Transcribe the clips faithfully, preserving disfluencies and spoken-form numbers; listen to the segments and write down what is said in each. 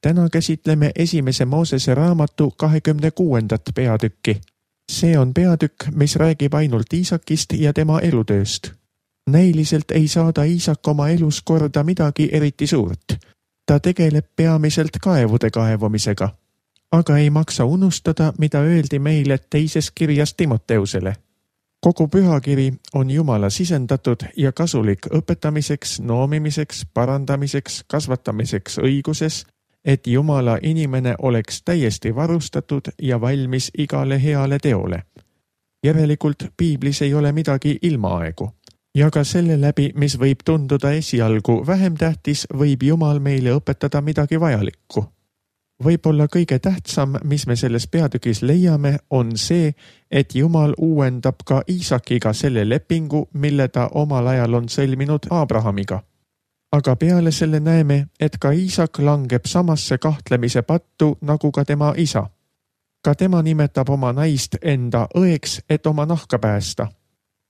Täna käsitleme esimese Moosese raamatu kahekümne kuuendat peatükki. See on peatükk, mis räägib ainult Iisakist ja tema elutööst. Näiliselt ei saada Iisak oma elus korda midagi eriti suurt. Ta tegeleb peamiselt kaevude kaevamisega. Aga ei maksa unustada, mida öeldi meile teises kirjas Timoteusele. Kogu pühakiri on Jumala sisendatud ja kasulik õpetamiseks, noomimiseks, parandamiseks, kasvatamiseks õiguses, et Jumala inimene oleks täiesti varustatud ja valmis igale heale teole. Järelikult Piiblis ei ole midagi ilmaaegu. Ja ka selle läbi, mis võib tunduda esialgu vähem tähtis, võib Jumal meile õpetada midagi vajalikku. Võib-olla kõige tähtsam, mis me selles peatükis leiame, on see, et Jumal uuendab ka Iisakiga selle lepingu, mille ta omal ajal on sõlminud Abrahamiga. Aga peale selle näeme, et ka Iisak langeb samasse kahtlemise pattu nagu ka tema isa. Ka tema nimetab oma naist enda õeks, et oma nahka päästa.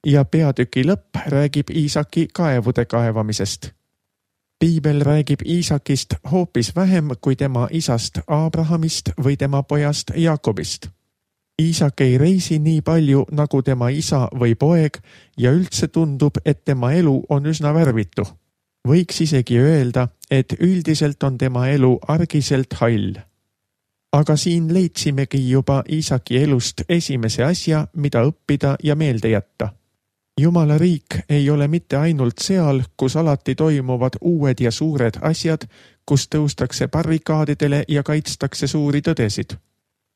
Ja peatüki lõpp räägib Iisaki kaevude kaevamisest. Piibel räägib Iisakist hoopis vähem kui tema isast Abrahamist või tema pojast Jaakobist. Iisak ei reisi nii palju nagu tema isa või poeg ja üldse tundub, et tema elu on üsna värvitu. Võiks isegi öelda, et üldiselt on tema elu argiselt hall. Aga siin leidsimegi juba Iisaki elust esimese asja, mida õppida ja meelde jätta. Jumala riik ei ole mitte ainult seal, kus alati toimuvad uued ja suured asjad, kus tõustakse barrikaadidele ja kaitstakse suuri tõdesid.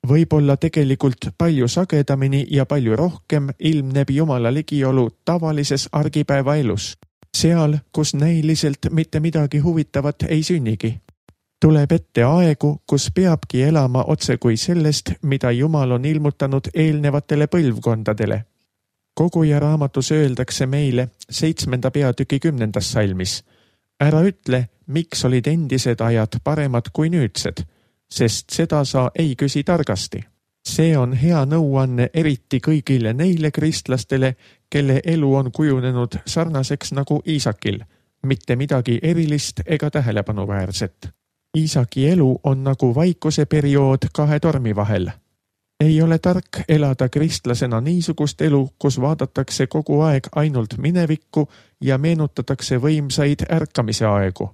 Võib-olla tegelikult palju sagedamini ja palju rohkem ilmneb Jumala ligiolu tavalises argipäeva elus. Seal, kus näiliselt mitte midagi huvitavat ei sünnigi. Tuleb ette aegu, kus peabki elama otse kui sellest, mida Jumal on ilmutanud eelnevatele põlvkondadele. Koguja raamatus öeldakse meile seitsmenda peatüki kümnendas salmis. Ära ütle, miks olid endised ajad paremad kui nüüdsed, sest seda sa ei küsi targasti. See on hea nõuanne eriti kõigile neile kristlastele, kelle elu on kujunenud sarnaseks nagu Iisakil, mitte midagi erilist ega tähelepanuväärset. Iisaki elu on nagu vaikuse periood kahe tormi vahel. Ei ole tark elada kristlasena niisugust elu, kus vaadatakse kogu aeg ainult minevikku ja meenutatakse võimsaid ärkamise aegu.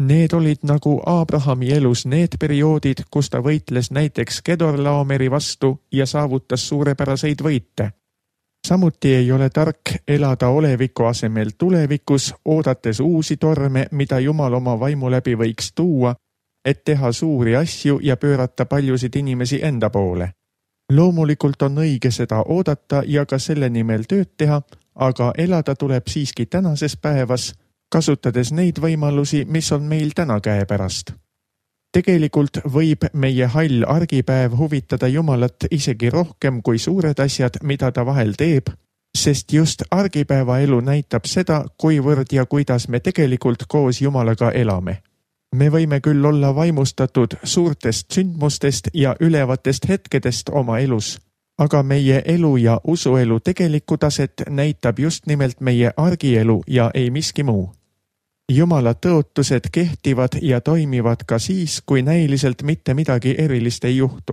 Need olid nagu Abrahami elus need perioodid, kus ta võitles näiteks Kedorlaomeri vastu ja saavutas suurepäraseid võite. Samuti ei ole tark elada oleviku asemel tulevikus, oodates uusi torme, mida Jumal oma vaimu läbi võiks tuua, et teha suuri asju ja pöörata paljusid inimesi enda poole. Loomulikult on õige seda oodata ja ka selle nimel tööd teha, aga elada tuleb siiski tänases päevas, kasutades neid võimalusi, mis on meil täna käepärast. Tegelikult võib meie hall argipäev huvitada Jumalat isegi rohkem kui suured asjad, mida ta vahel teeb, sest just argipäeva elu näitab seda, kuivõrd ja kuidas me tegelikult koos Jumalaga elame. Me võime küll olla vaimustatud suurtest sündmustest ja ülevatest hetkedest oma elus, aga meie elu ja usuelu tegelikku taset näitab just nimelt meie argielu ja ei miski muu. Jumala tõotused kehtivad ja toimivad ka siis, kui näiliselt mitte midagi erilist ei juhtu.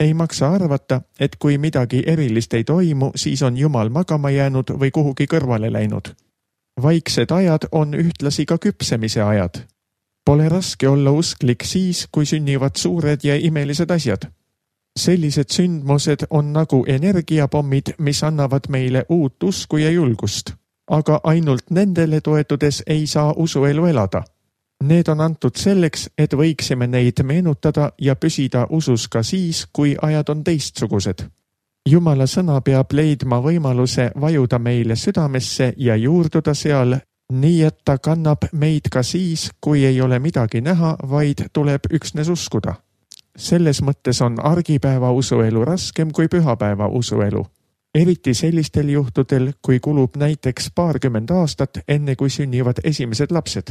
Ei maksa arvata, et kui midagi erilist ei toimu, siis on Jumal magama jäänud või kuhugi kõrvale läinud. Vaiksed ajad on ühtlasi ka küpsemise ajad. Pole raske olla usklik siis, kui sünnivad suured ja imelised asjad. Sellised sündmused on nagu energiapommid, mis annavad meile uut usku ja julgust. Aga ainult nendele toetudes ei saa usuelu elada. Need on antud selleks, et võiksime neid meenutada ja püsida usus ka siis, kui ajad on teistsugused. Jumala sõna peab leidma võimaluse vajuda meile südamesse ja juurduda seal, nii et ta kannab meid ka siis, kui ei ole midagi näha, vaid tuleb üksnes uskuda. Selles mõttes on argipäeva usuelu raskem kui pühapäeva usuelu. Eriti sellistel juhtudel, kui kulub näiteks paarkümmend aastat, enne kui sünnivad esimesed lapsed.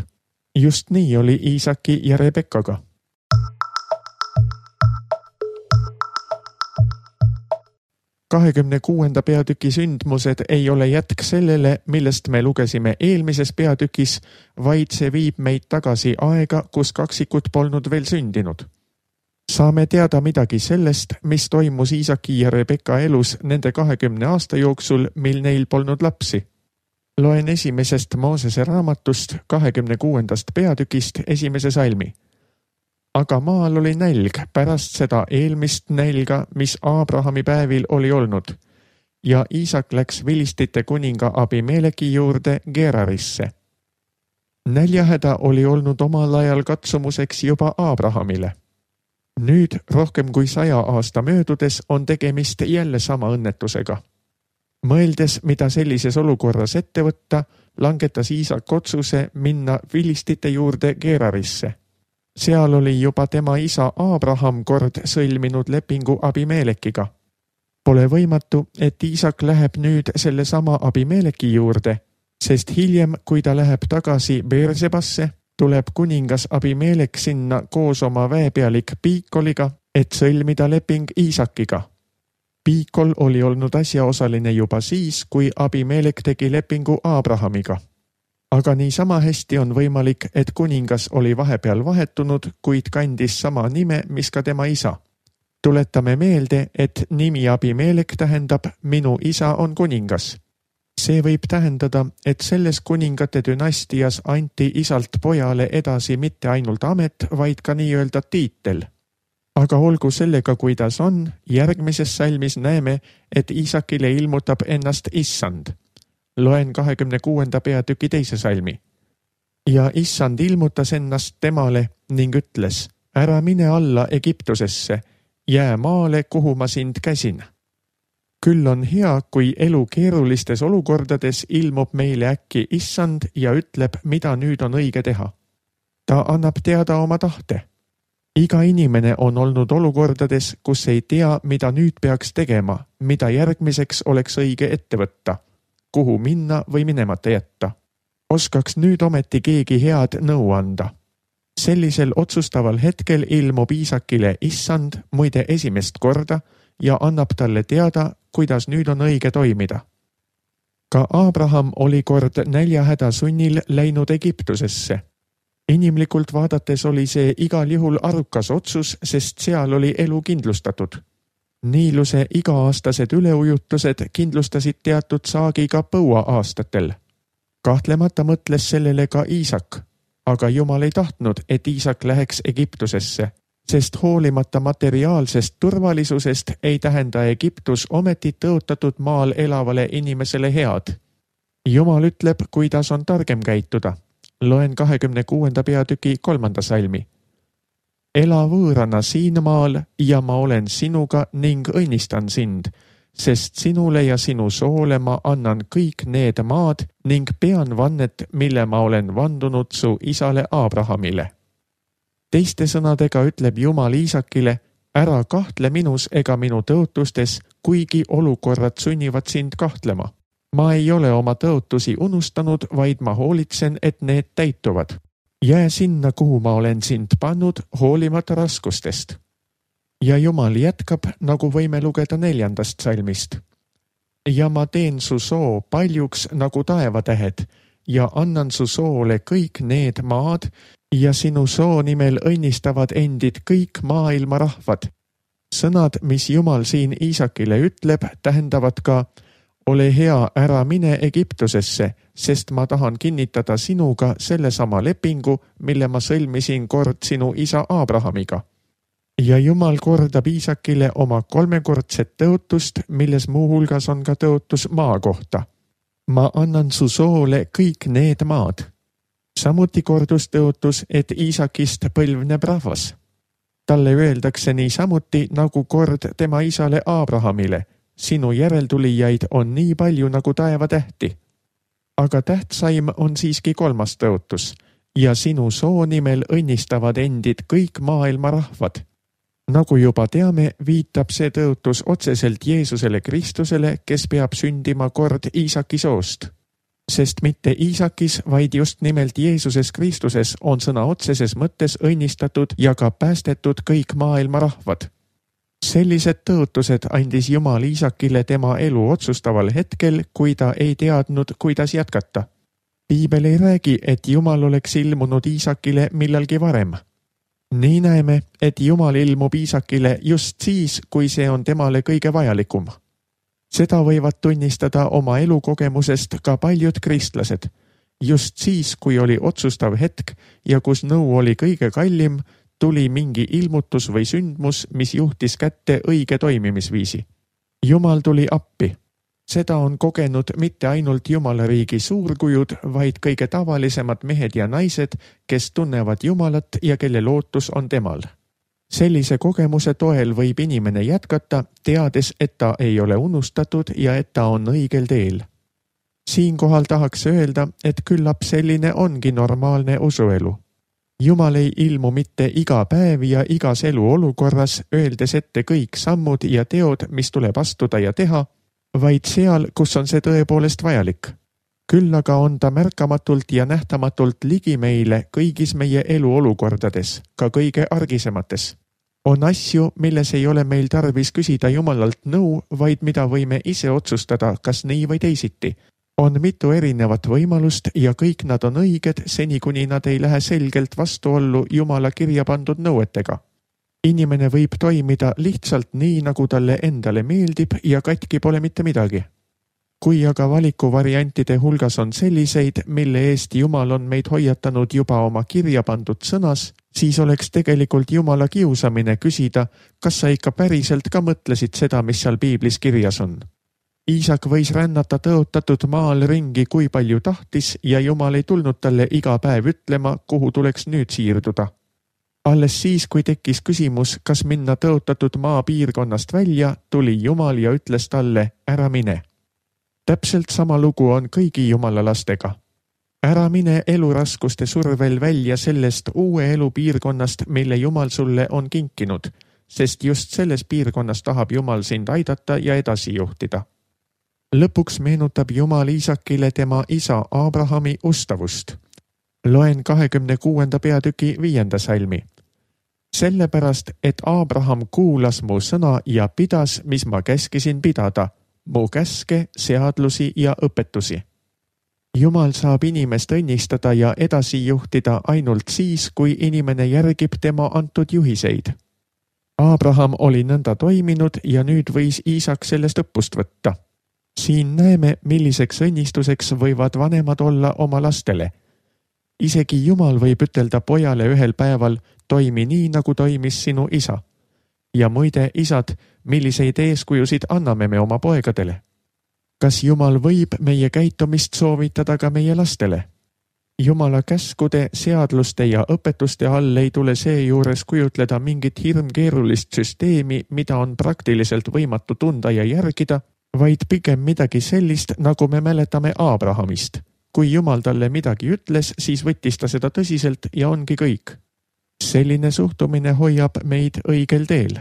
Just nii oli Iisaki ja Rebekkaga. kahekümne kuuenda peatüki sündmused ei ole jätk sellele, millest me lugesime eelmises peatükis, vaid see viib meid tagasi aega, kus kaksikud polnud veel sündinud. Saame teada midagi sellest, mis toimus Iisaki ja Rebecca elus nende kahekümne aasta jooksul, mil neil polnud lapsi. Loen esimesest Moosese raamatust kahekümne kuuendast peatükist esimese salmi. Aga maal oli nälg pärast seda eelmist nälga, mis Aabrahami päevil oli olnud, ja Iisak läks Vilistite kuninga Abimeleki juurde Gerarisse. Näljahäda oli olnud omal ajal katsumuseks juba Aabrahamile. Nüüd rohkem kui saja aasta möödudes on tegemist jälle sama õnnetusega. Mõeldes, mida sellises olukorras ette võtta, langetas Iisak otsuse minna Vilistite juurde Gerarisse. Seal oli juba tema isa Aabraham kord sõlminud lepingu Abimelekiga. Pole võimatu, et Iisak läheb nüüd selle sama Abimeleki juurde, sest hiljem, kui ta läheb tagasi Beersebasse, tuleb kuningas Abimelek sinna koos oma väepealik Piikoliga, et sõlmida leping Iisakiga. Piikol oli olnud asjaosaline juba siis, kui Abimelek tegi lepingu Aabrahamiga. Aga nii sama hästi on võimalik, et kuningas oli vahepeal vahetunud, kuid kandis sama nime, mis ka tema isa. Tuletame meelde, et nimi Abimelek tähendab minu isa on kuningas. See võib tähendada, et selles kuningate dünastias anti isalt pojale edasi mitte ainult amet, vaid ka nii-öelda tiitel. Aga olgu sellega, kuidas on, järgmises salmis näeme, et Iisakile ilmutab ennast issand. Loen kahekümne kuuenda peatüki teise salmi. Ja issand ilmutas ennast temale ning ütles, ära mine alla Egiptusesse, jää maale, kuhu ma sind käsin. Küll on hea, kui elu keerulistes olukordades ilmub meile äkki issand ja ütleb, mida nüüd on õige teha. Ta annab teada oma tahte. Iga inimene on olnud olukordades, kus ei tea, mida nüüd peaks tegema, mida järgmiseks oleks õige ette võtta, kuhu minna või minemata jätta. Oskaks nüüd ometi keegi head nõu anda. Sellisel otsustaval hetkel ilmub Iisakile issand, muide esimest korda, ja annab talle teada, kuidas nüüd on õige toimida. Ka Aabraham oli kord näljahäda sunnil läinud Egiptusesse. Inimlikult vaadates oli see igal juhul arukas otsus, sest seal oli elu kindlustatud. Niiluse iga-aastased üleujutused kindlustasid teatud saagi ka põua aastatel. Kahtlemata mõtles sellele ka Iisak, aga Jumal ei tahtnud, et Iisak läheks Egiptusesse, sest hoolimata materiaalsest turvalisusest ei tähenda Egiptus ometi tõotatud maal elavale inimesele head. Jumal ütleb, kuidas on targem käituda. Loen kahekümne kuuenda peatüki kolmanda salmi. Ela võõrana siin maal ja ma olen sinuga ning õnnistan sind, sest sinule ja sinu soole ma annan kõik need maad ning pean vannet, mille ma olen vandunud su isale Aabrahamile. Teiste sõnadega ütleb Jumal Iisakile, ära kahtle minus ega minu tõotustes, kuigi olukorrad sunnivad sind kahtlema. Ma ei ole oma tõotusi unustanud, vaid ma hoolitsen, et need täituvad. Jää sinna, kuhu ma olen sind pannud, hoolimata raskustest. Ja Jumal jätkab, nagu võime lugeda neljandast salmist. Ja ma teen su soo paljuks nagu taevatähed ja annan su soole kõik need maad ja sinu soo nimel õnnistavad endid kõik maailma rahvad. Sõnad, mis Jumal siin Iisakile ütleb, tähendavad ka ole hea, ära mine Egiptusesse, sest ma tahan kinnitada sinuga sellesama lepingu, mille ma sõlmisin kord sinu isa Aabrahamiga. Ja Jumal kordab Iisakile oma kolmekordset tõotust, milles muuhulgas on ka tõotus maa kohta. Ma annan su soole kõik need maad. Samuti kordus tõotus, et Iisakist põlvneb rahvas. Talle öeldakse nii samuti nagu kord tema isale Aabrahamile. Sinu järeltulijaid on nii palju nagu taevatähti. Aga tähtsaim on siiski kolmas tõotus ja sinu soo nimel õnnistavad endid kõik maailma rahvad. Nagu juba teame, viitab see tõotus otseselt Jeesusele Kristusele, kes peab sündima kord Iisaki soost. Sest mitte Iisakis, vaid just nimelt Jeesuses Kristuses on sõna otseses mõttes õnnistatud ja ka päästetud kõik maailma rahvad. Sellised tõotused andis Jumal Iisakile tema elu otsustaval hetkel, kui ta ei teadnud, kuidas jätkata. Piibel ei räägi, et Jumal oleks ilmunud Iisakile millalgi varem. Nii näeme, et Jumal ilmub Iisakile just siis, kui see on temale kõige vajalikum. Seda võivad tunnistada oma elukogemusest ka paljud kristlased. Just siis, kui oli otsustav hetk ja kus nõu oli kõige kallim, tuli mingi ilmutus või sündmus, mis juhtis kätte õige toimimisviisi. Jumal tuli appi. Seda on kogenud mitte ainult Jumala riigi suurkujud, vaid kõige tavalisemad mehed ja naised, kes tunnevad Jumalat ja kelle lootus on temal. Sellise kogemuse toel võib inimene jätkata, teades, et ta ei ole unustatud ja et ta on õigel teel. Siinkohal tahaks öelda, et küllap selline ongi normaalne usuelu. Jumal ei ilmu mitte iga päev ja igas eluolukorras, öeldes ette kõik sammud ja teod, mis tuleb astuda ja teha, vaid seal, kus on see tõepoolest vajalik. Küll aga on ta märkamatult ja nähtamatult ligi meile kõigis meie eluolukordades, ka kõige argisemates. On asju, milles ei ole meil tarvis küsida Jumalalt nõu, vaid mida võime ise otsustada, kas nii või teisiti. On mitu erinevat võimalust ja kõik nad on õiged, seni kuni nad ei lähe selgelt vastuollu Jumala kirja pandud nõuetega. Inimene võib toimida lihtsalt nii, nagu talle endale meeldib ja katki pole mitte midagi. Kui aga valikuvariantide hulgas on selliseid, mille eest Jumal on meid hoiatanud juba oma kirja pandud sõnas, siis oleks tegelikult Jumala kiusamine küsida, kas sa ikka päriselt ka mõtlesid seda, mis seal Piiblis kirjas on. Iisak võis rännata tõotatud maal ringi, kui palju tahtis ja Jumal ei tulnud talle iga päev ütlema, kuhu tuleks nüüd siirduda. Alles siis, kui tekkis küsimus, kas minna tõotatud maa piirkonnast välja, tuli Jumal ja ütles talle, ära mine. Täpselt sama lugu on kõigi Jumala lastega. Ära mine eluraskuste survel välja sellest uue elupiirkonnast, mille Jumal sulle on kinkinud, sest just selles piirkonnas tahab Jumal sind aidata ja edasi juhtida. Lõpuks meenutab Jumal Iisakile tema isa Abrahami ustavust. Loen kahekümne kuuenda peatüki viienda salmi. Sellepärast, et Abraham kuulas mu sõna ja pidas, mis ma käskisin pidada, mu käske, seadlusi ja õpetusi. Jumal saab inimest õnnistada ja edasi juhtida ainult siis, kui inimene järgib tema antud juhiseid. Abraham oli nõnda toiminud ja nüüd võis Iisak sellest õppust võtta. Siin näeme, milliseks õnnistuseks võivad vanemad olla oma lastele. Isegi Jumal võib ütelda pojale ühel päeval, toimi nii, nagu toimis sinu isa. Ja muide, isad, milliseid eeskujusid anname me oma poegadele? Kas Jumal võib meie käitumist soovitada ka meie lastele? Jumala käskude, seadluste ja õpetuste all ei tule seejuures kujutleda mingit hirmkeerulist süsteemi, mida on praktiliselt võimatu tunda ja järgida, vaid pigem midagi sellist, nagu me mäletame Abrahamist. Kui Jumal talle midagi ütles, siis võttis ta seda tõsiselt ja ongi kõik. Selline suhtumine hoiab meid õigel teel.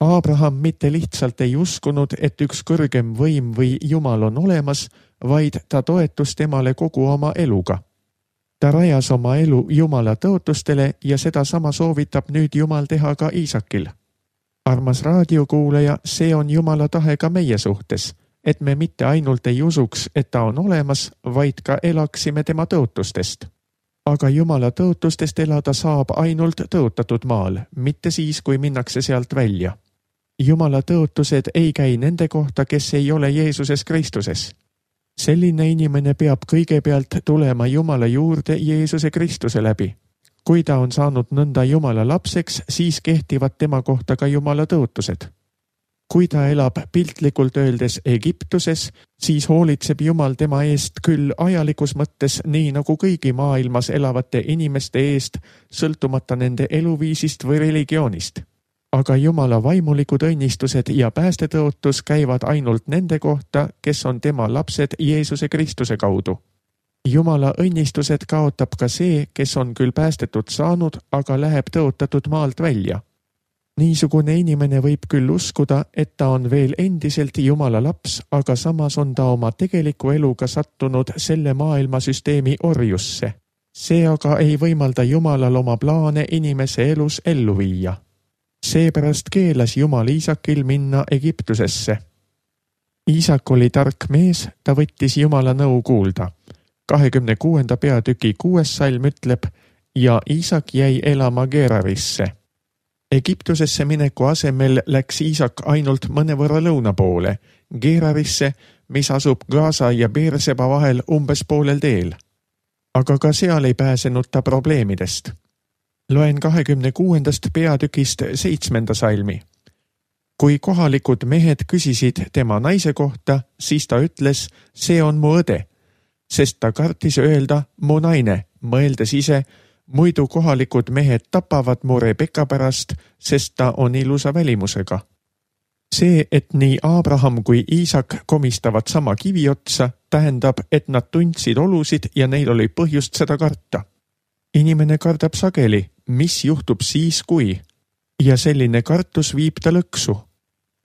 Abraham mitte lihtsalt ei uskunud, et üks kõrgem võim või Jumal on olemas, vaid ta toetus temale kogu oma eluga. Ta rajas oma elu Jumala tõotustele ja seda sama soovitab nüüd Jumal teha ka Iisakil. Armas raadiokuulaja, see on Jumala tahe ka meie suhtes, et me mitte ainult ei usuks, et ta on olemas, vaid ka elaksime tema tõotustest. Aga Jumala tõotustest elada saab ainult tõotatud maal, mitte siis, kui minnakse sealt välja. Jumala tõotused ei käi nende kohta, kes ei ole Jeesuses Kristuses. Selline inimene peab kõigepealt tulema Jumala juurde Jeesuse Kristuse läbi. Kui ta on saanud nõnda Jumala lapseks, siis kehtivad tema kohta ka Jumala tõotused. Kui ta elab piltlikult öeldes Egiptuses, siis hoolitseb Jumal tema eest küll ajalikus mõttes nii nagu kõigi maailmas elavate inimeste eest, sõltumata nende eluviisist või religioonist. Aga Jumala vaimulikud õnnistused ja päästetõotus käivad ainult nende kohta, kes on tema lapsed Jeesuse Kristuse kaudu. Jumala õnnistused kaotab ka see, kes on küll päästetud saanud, aga läheb tõotatud maalt välja. Niisugune inimene võib küll uskuda, et ta on veel endiselt Jumala laps, aga samas on ta oma tegeliku eluga sattunud selle maailmasüsteemi orjusse. See aga ei võimalda Jumalal oma plaane inimese elus ellu viia. Seepärast keelas Jumal Iisakil minna Egiptusesse. Iisak oli tark mees, ta võttis Jumala nõu kuulda. kahekümne kuuenda peatüki kuues salm ütleb, ja Iisak jäi elama Gerarisse. Egiptusesse mineku asemel läks Iisak ainult mõnevõrra lõuna poole, Gerarisse, mis asub Gaza ja Beerseba vahel umbes poolel teel. Aga ka seal ei pääsenud ta probleemidest. Loen kahekümne kuuendast peatükist seitsmenda salmi. Kui kohalikud mehed küsisid tema naise kohta, siis ta ütles, see on mu õde, sest ta kartis öelda mu naine, mõeldes ise, muidu kohalikud mehed tapavad mu Rebeka pärast, sest ta on ilusa välimusega. See, et nii Abraham kui Iisak komistavad sama kivi otsa, tähendab, et nad tundsid olusid ja neil oli põhjust seda karta. Inimene kardab sageli, mis juhtub siis kui, ja selline kartus viib ta lõksu.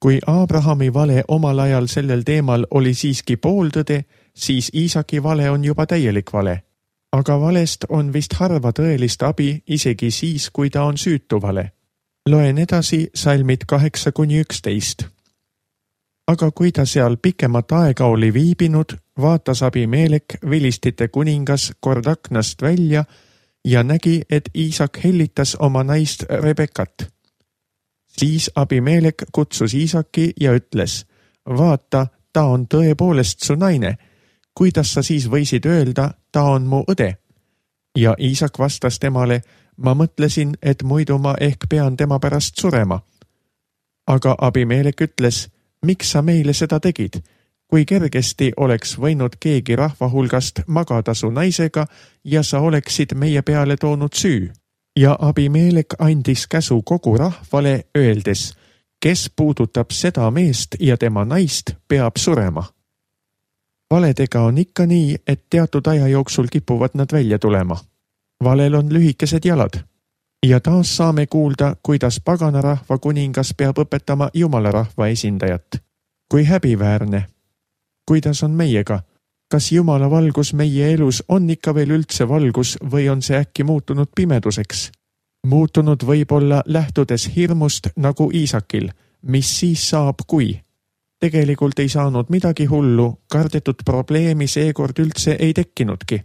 Kui Abrahami vale omal ajal sellel teemal oli siiski pooltõde, siis Iisaki vale on juba täielik vale. Aga valest on vist harva tõelist abi isegi siis, kui ta on süütu vale. Loen edasi salmid kaheksa kuni üksteist. Aga kui ta seal pikemat aega oli viibinud, vaatas Abimelek, vilistite kuningas, kord aknast välja ja nägi, et Iisak hellitas oma naist Rebekat. Siis Abimelek kutsus Iisaki ja ütles, vaata, ta on tõepoolest su naine. Kuidas sa siis võisid öelda, ta on mu õde? Ja Iisak vastas temale, ma mõtlesin, et muidu ma ehk pean tema pärast surema. Aga Abimelek ütles, miks sa meile seda tegid? Kui kergesti oleks võinud keegi rahva hulgast magada su naisega ja sa oleksid meie peale toonud süü. Ja Abimelek andis käsu kogu rahvale, öeldes, kes puudutab seda meest ja tema naist, peab surema. Valedega on ikka nii, et teatud aja jooksul kipuvad nad välja tulema. Valel on lühikesed jalad. Ja taas saame kuulda, kuidas paganarahva kuningas peab õpetama Jumala rahva esindajat. Kui häbiväärne. Kuidas on meiega? Kas Jumala valgus meie elus on ikka veel üldse valgus või on see äkki muutunud pimeduseks? Muutunud võib-olla lähtudes hirmust nagu Iisakil, mis siis saab kui? Tegelikult ei saanud midagi hullu, kardetud probleemi seekord üldse ei tekkinudki.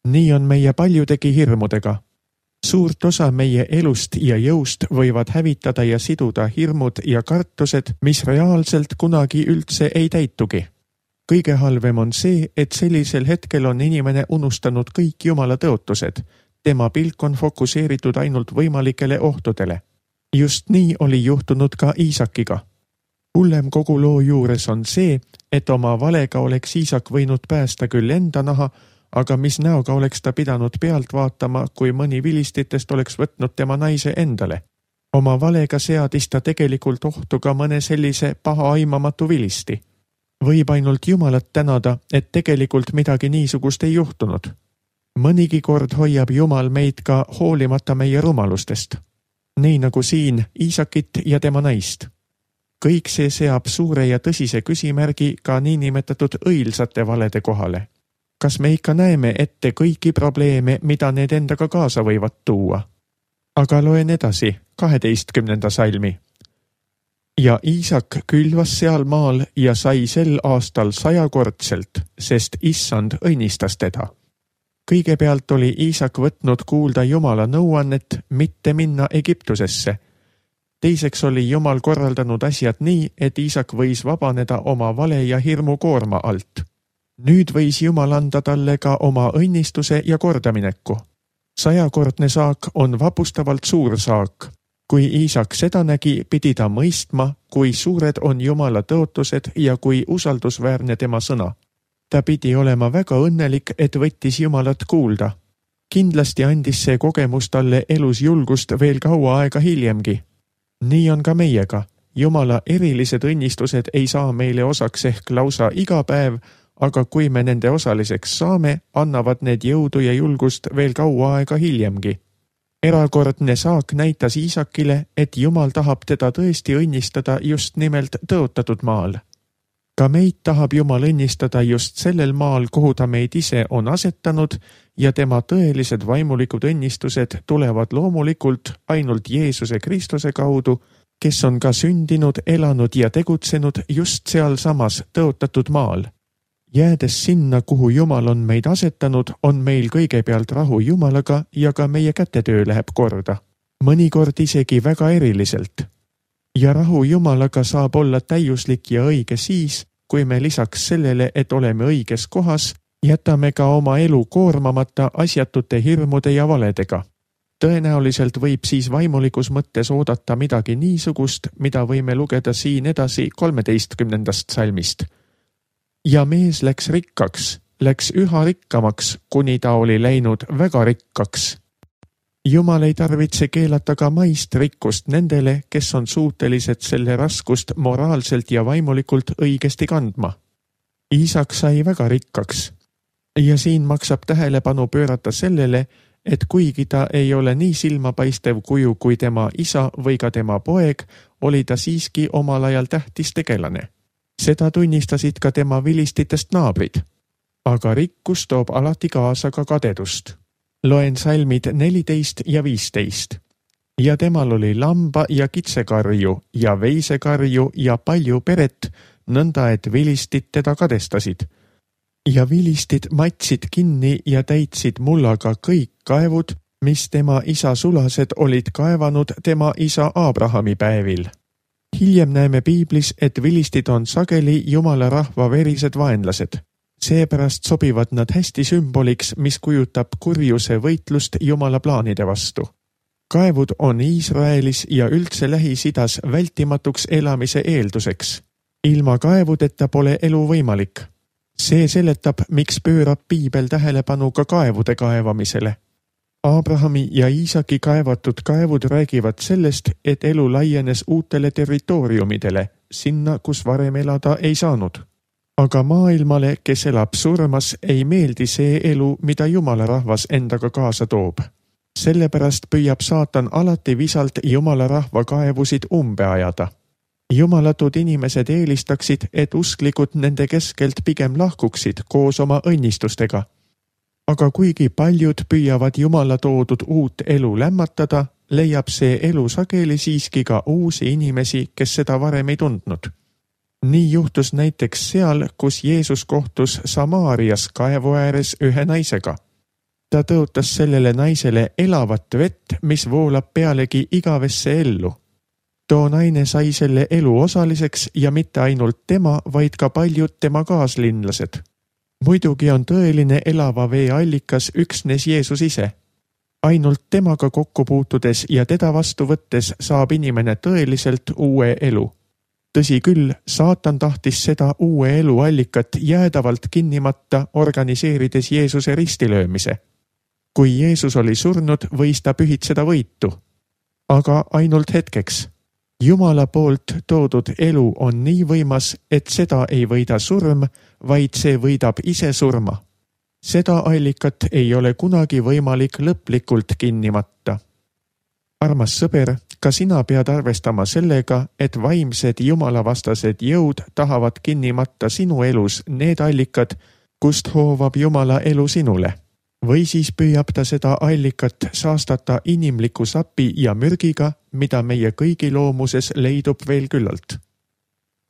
Nii on meie paljudegi hirmudega. Suurt osa meie elust ja jõust võivad hävitada ja siduda hirmud ja kartused, mis reaalselt kunagi üldse ei täitugi. Kõige halvem on see, et sellisel hetkel on inimene unustanud kõik Jumala tõotused. Tema pilk on fokuseeritud ainult võimalikele ohtudele. Just nii oli juhtunud ka Iisakiga. Hullem kogu loo juures on see, et oma valega oleks Iisak võinud päästa küll enda naha, aga mis näoga oleks ta pidanud pealt vaatama, kui mõni vilistitest oleks võtnud tema naise endale. Oma valega seadis ta tegelikult ohtu ka mõne sellise paha aimamatu vilisti. Võib ainult Jumalat tänada, et tegelikult midagi niisugust ei juhtunud. Mõnigi kord hoiab Jumal meid ka hoolimata meie rumalustest. Nii nagu siin Iisakit ja tema naist. Kõik see seab suure ja tõsise küsimärgi ka niinimetatud õilsate valede kohale. Kas me ikka näeme ette kõiki probleeme, mida need endaga kaasa võivad tuua? Aga loen edasi, kaheteistkümnenda salmi. Ja Iisak külvas seal maal ja sai sel aastal sajakordselt, sest issand õnnistas teda. Kõigepealt oli Iisak võtnud kuulda Jumala nõuannet mitte minna Egiptusesse. Teiseks oli Jumal korraldanud asjad nii, et Iisak võis vabaneda oma vale ja hirmu koorma alt. Nüüd võis Jumal anda talle ka oma õnnistuse ja kordamineku. Sajakordne saak on vapustavalt suur saak. Kui Iisak seda nägi, pidi ta mõistma, kui suured on Jumala tõotused ja kui usaldusväärne tema sõna. Ta pidi olema väga õnnelik, et võttis Jumalat kuulda. Kindlasti andis see kogemus talle elus julgust veel kaua aega hiljemgi. Nii on ka meiega. Jumala erilised õnnistused ei saa meile osaks ehk lausa iga päev, aga kui me nende osaliseks saame, annavad need jõudu ja julgust veel kaua aega hiljemgi. Erakordne saak näitas Iisakile, et Jumal tahab teda tõesti õnnistada just nimelt tõotatud maal. Ka meid tahab Jumal õnnistada just sellel maal, kuhu ta meid ise on asetanud ja tema tõelised vaimulikud õnnistused tulevad loomulikult ainult Jeesuse Kristuse kaudu, kes on ka sündinud, elanud ja tegutsenud just sealsamas tõotatud maal. Jäädes sinna, kuhu Jumal on meid asetanud, on meil kõigepealt rahu Jumalaga ja ka meie kätetöö läheb korda. Mõnikord isegi väga eriliselt. Ja rahu Jumalaga saab olla täiuslik ja õige siis, kui me lisaks sellele, et oleme õiges kohas, jätame ka oma elu koormamata asjatute hirmude ja valedega. Tõenäoliselt võib siis vaimulikus mõttes oodata midagi niisugust, mida võime lugeda siin edasi kolmeteistkümnendast salmist. Ja mees läks rikkaks, läks üha rikkamaks, kuni ta oli läinud väga rikkaks. Jumal ei tarvitse keelata ka maist rikkust nendele, kes on suutelised selle raskust moraalselt ja vaimulikult õigesti kandma. Iisak sai väga rikkaks. Ja siin maksab tähelepanu pöörata sellele, et kuigi ta ei ole nii silmapaistev kuju kui tema isa või ka tema poeg, oli ta siiski omal ajal tähtis tegelane. Seda tunnistasid ka tema vilistitest naabrid. Aga rikkus toob alati kaasa ka kadedust. Loen salmid neliteist ja viisteist. Ja temal oli lamba ja kitsekarju ja veisekarju ja palju peret, nõnda et vilistid teda kadestasid. Ja vilistid matsid kinni ja täitsid mullaga kõik kaevud, mis tema isa sulased olid kaevanud tema isa Abrahami päevil. Hiljem näeme piiblis, et vilistid on sageli Jumala rahva verised vaenlased. Seepärast sobivad nad hästi sümboliks, mis kujutab kurjuse võitlust Jumala plaanide vastu. Kaevud on Iisraelis ja üldse Lähis-Idas vältimatuks elamise eelduseks. Ilma kaevudeta pole elu võimalik. See seletab, miks pöörab piibel tähelepanu ka kaevude kaevamisele. Abrahami ja Iisaki kaevatud kaevud räägivad sellest, et elu laienes uutele territooriumidele, sinna, kus varem elada ei saanud. Aga maailmale, kes elab surmas, ei meeldi see elu, mida Jumala rahvas endaga kaasa toob. Sellepärast püüab saatan alati visalt Jumala rahva kaevusid umbe ajada. Jumalatud inimesed eelistaksid, et usklikud nende keskelt pigem lahkuksid koos oma õnnistustega. Aga kuigi paljud püüavad Jumala toodud uut elu lämmatada, leiab see elu sageli siiski ka uusi inimesi, kes seda varem ei tundnud. Nii juhtus näiteks seal, kus Jeesus kohtus Samaarias kaevu ääres ühe naisega. Ta tõotas sellele naisele elavat vett, mis voolab pealegi igavesse ellu. Too naine sai selle elu osaliseks ja mitte ainult tema, vaid ka paljud tema kaaslinlased. Muidugi on tõeline elava vee allikas üksnes Jeesus ise. Ainult temaga kokku puutudes ja teda vastu võttes saab inimene tõeliselt uue elu. Tõsi küll, saatan tahtis seda uue elu allikat jäädavalt kinnimata, organiseerides Jeesuse ristilöömise. Kui Jeesus oli surnud, võis ta pühitseda võitu. Aga ainult hetkeks. Jumala poolt toodud elu on nii võimas, et seda ei võida surm, vaid see võidab ise surma. Seda allikat ei ole kunagi võimalik lõplikult kinnimata. Armas sõber, ka sina pead arvestama sellega, et vaimsed jumalavastased jõud tahavad kinnimata sinu elus need allikad, kust hoovab Jumala elu sinule. Või siis püüab ta seda allikat saastata inimliku sapi ja mürgiga, mida meie kõigi loomuses leidub veel küllalt.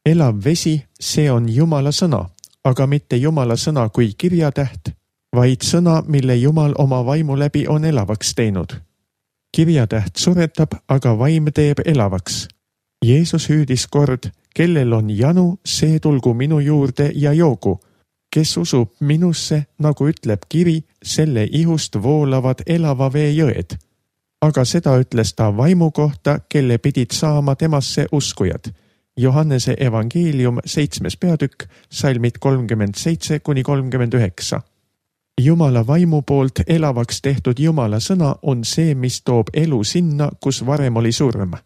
Elav vesi, see on Jumala sõna, aga mitte Jumala sõna kui kirjatäht, vaid sõna, mille Jumal oma vaimu läbi on elavaks teinud. Kirjatäht suretab, aga vaim teeb elavaks. Jeesus hüüdis kord, kellel on janu, see tulgu minu juurde ja joogu. Kes usub minusse, nagu ütleb kiri, selle ihust voolavad elava vee jõed. Aga seda ütles ta vaimu kohta, kelle pidid saama temasse uskujad. Johannese evangeelium seitsmes peatükk, salmid kolmkümmend seitse kuni kolmkümmend üheksa. Jumala vaimu poolt elavaks tehtud Jumala sõna on see, mis toob elu sinna, kus varem oli surm.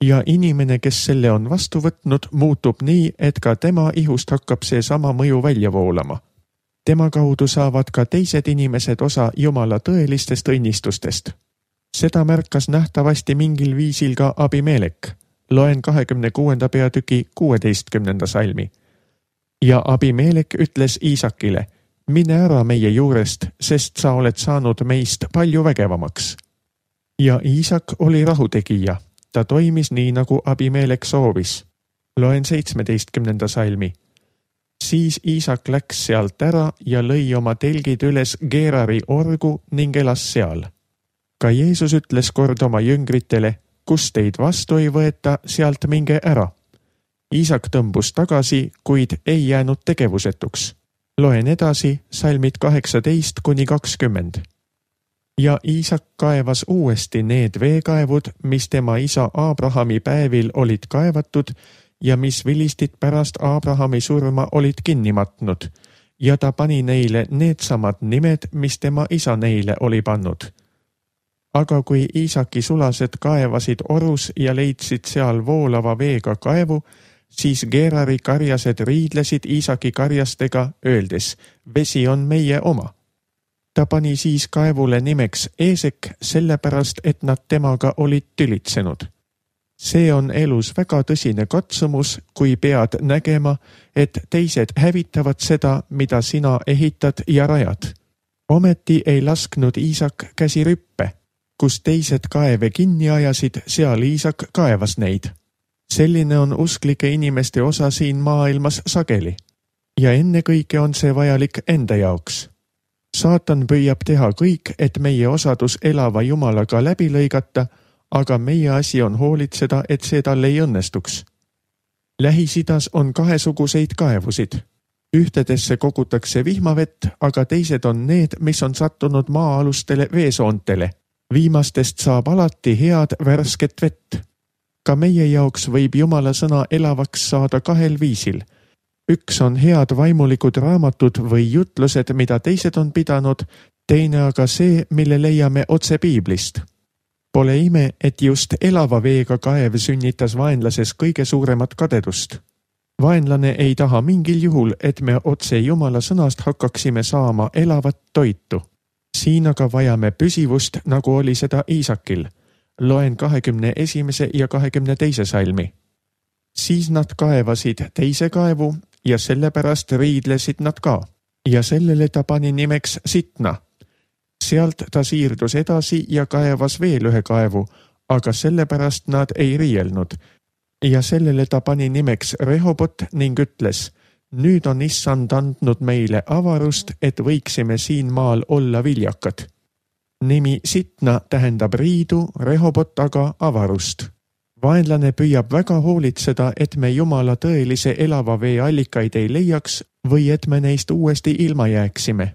Ja inimene, kes selle on vastu võtnud, muutub nii, et ka tema ihust hakkab see sama mõju välja voolama. Tema kaudu saavad ka teised inimesed osa Jumala tõelistest õnnistustest. Seda märkas nähtavasti mingil viisil ka Abimelek. Loen kahekümne kuuenda peatüki kuueteistkümnenda salmi. Ja Abimelek ütles Iisakile, mine ära meie juurest, sest sa oled saanud meist palju vägevamaks. Ja Iisak oli rahutegija. Ta toimis nii, nagu Abimelek soovis. Loen seitsmeteistkümnenda salmi. Siis Iisak läks sealt ära ja lõi oma telgid üles Geerari orgu ning elas seal. Ka Jeesus ütles kord oma jüngritele, kus teid vastu ei võeta, sealt minge ära. Iisak tõmbus tagasi, kuid ei jäänud tegevusetuks. Loen edasi salmid kaheksateist kuni kakskümmend. Ja Iisak kaevas uuesti need veekaevud, mis tema isa Abrahami päevil olid kaevatud ja mis vilistid pärast Abrahami surma olid kinni matnud, ja ta pani neile needsamad nimed, mis tema isa neile oli pannud. Aga kui Iisaki sulased kaevasid orus ja leidsid seal voolava veega kaevu, siis Geerari karjased riidlesid Iisaki karjastega, öeldes, vesi on meie oma. Ta pani siis kaevule nimeks Eesek, sellepärast, et nad temaga olid tülitsenud. See on elus väga tõsine katsumus, kui pead nägema, et teised hävitavad seda, mida sina ehitad ja rajad. Ometi ei lasknud Iisak käsi rüppe. Kus teised kaeve kinni ajasid, seal Iisak kaevas neid. Selline on usklike inimeste osa siin maailmas sageli. Ja ennekõike on see vajalik enda jaoks. Saatan püüab teha kõik, et meie osadus elava Jumalaga läbi lõigata, aga meie asi on hoolitseda, et see tal ei õnnestuks. Lähis-Idas on kahesuguseid kaevusid. Ühtedesse kogutakse vihmavett, aga teised on need, mis on sattunud maa-alustele veesoontele. Viimastest saab alati head värsket vett. Ka meie jaoks võib Jumala sõna elavaks saada kahel viisil. Üks on head vaimulikud raamatud või jutlused, mida teised on pidanud, teine aga see, mille leiame otse Piiblist. Pole ime, et just elava veega kaev sünnitas vaenlases kõige suuremat kadedust. Vaenlane ei taha mingil juhul, et me otse Jumala sõnast hakkaksime saama elavat toitu. Siin aga vajame püsivust, nagu oli seda Iisakil. Loen kahekümne esimese ja kahekümne teise salmi. Siis nad kaevasid teise kaevu ja sellepärast riidlesid nad ka. Ja sellele ta pani nimeks Sitna. Sealt ta siirdus edasi ja kaevas veel ühe kaevu, aga sellepärast nad ei riielnud. Ja sellele ta pani nimeks Rehobot ning ütles, nüüd on issand andnud meile avarust, et võiksime siin maal olla viljakad. Nimi Sitna tähendab riidu, Rehobot aga avarust. Vaenlane püüab väga hoolitseda, et me Jumala tõelise elava vee allikaid ei leiaks või et me neist uuesti ilma jääksime.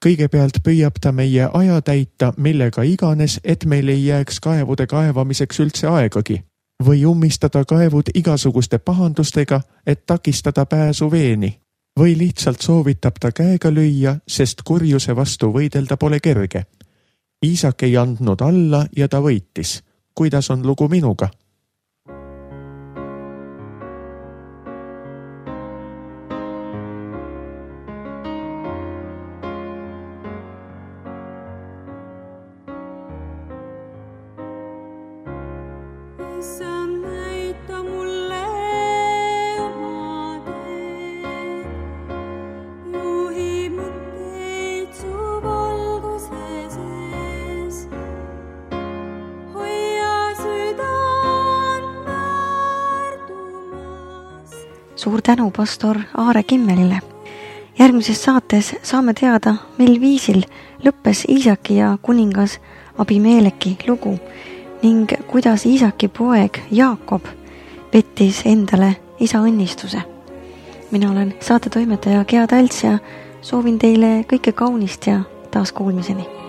Kõigepealt püüab ta meie aja täita, millega iganes, et meil ei jääks kaevude kaevamiseks üldse aegagi, või ummistada kaevud igasuguste pahandustega, et takistada pääsu veeni, või lihtsalt soovitab ta käega lüüa, sest kurjuse vastu võidelda pole kerge. Iisak ei andnud alla ja ta võitis. Kuidas on lugu minuga? Suur tänu pastor Aare Kimmelile. Järgmises saates saame teada, mil viisil lõppes Iisaki ja kuningas Abimeleki lugu ning kuidas Iisaki poeg Jaakob pettis endale isa õnnistuse. Mina olen saatetoimetaja Gea Talts ja soovin teile kõike kaunist ja taas kuulmiseni.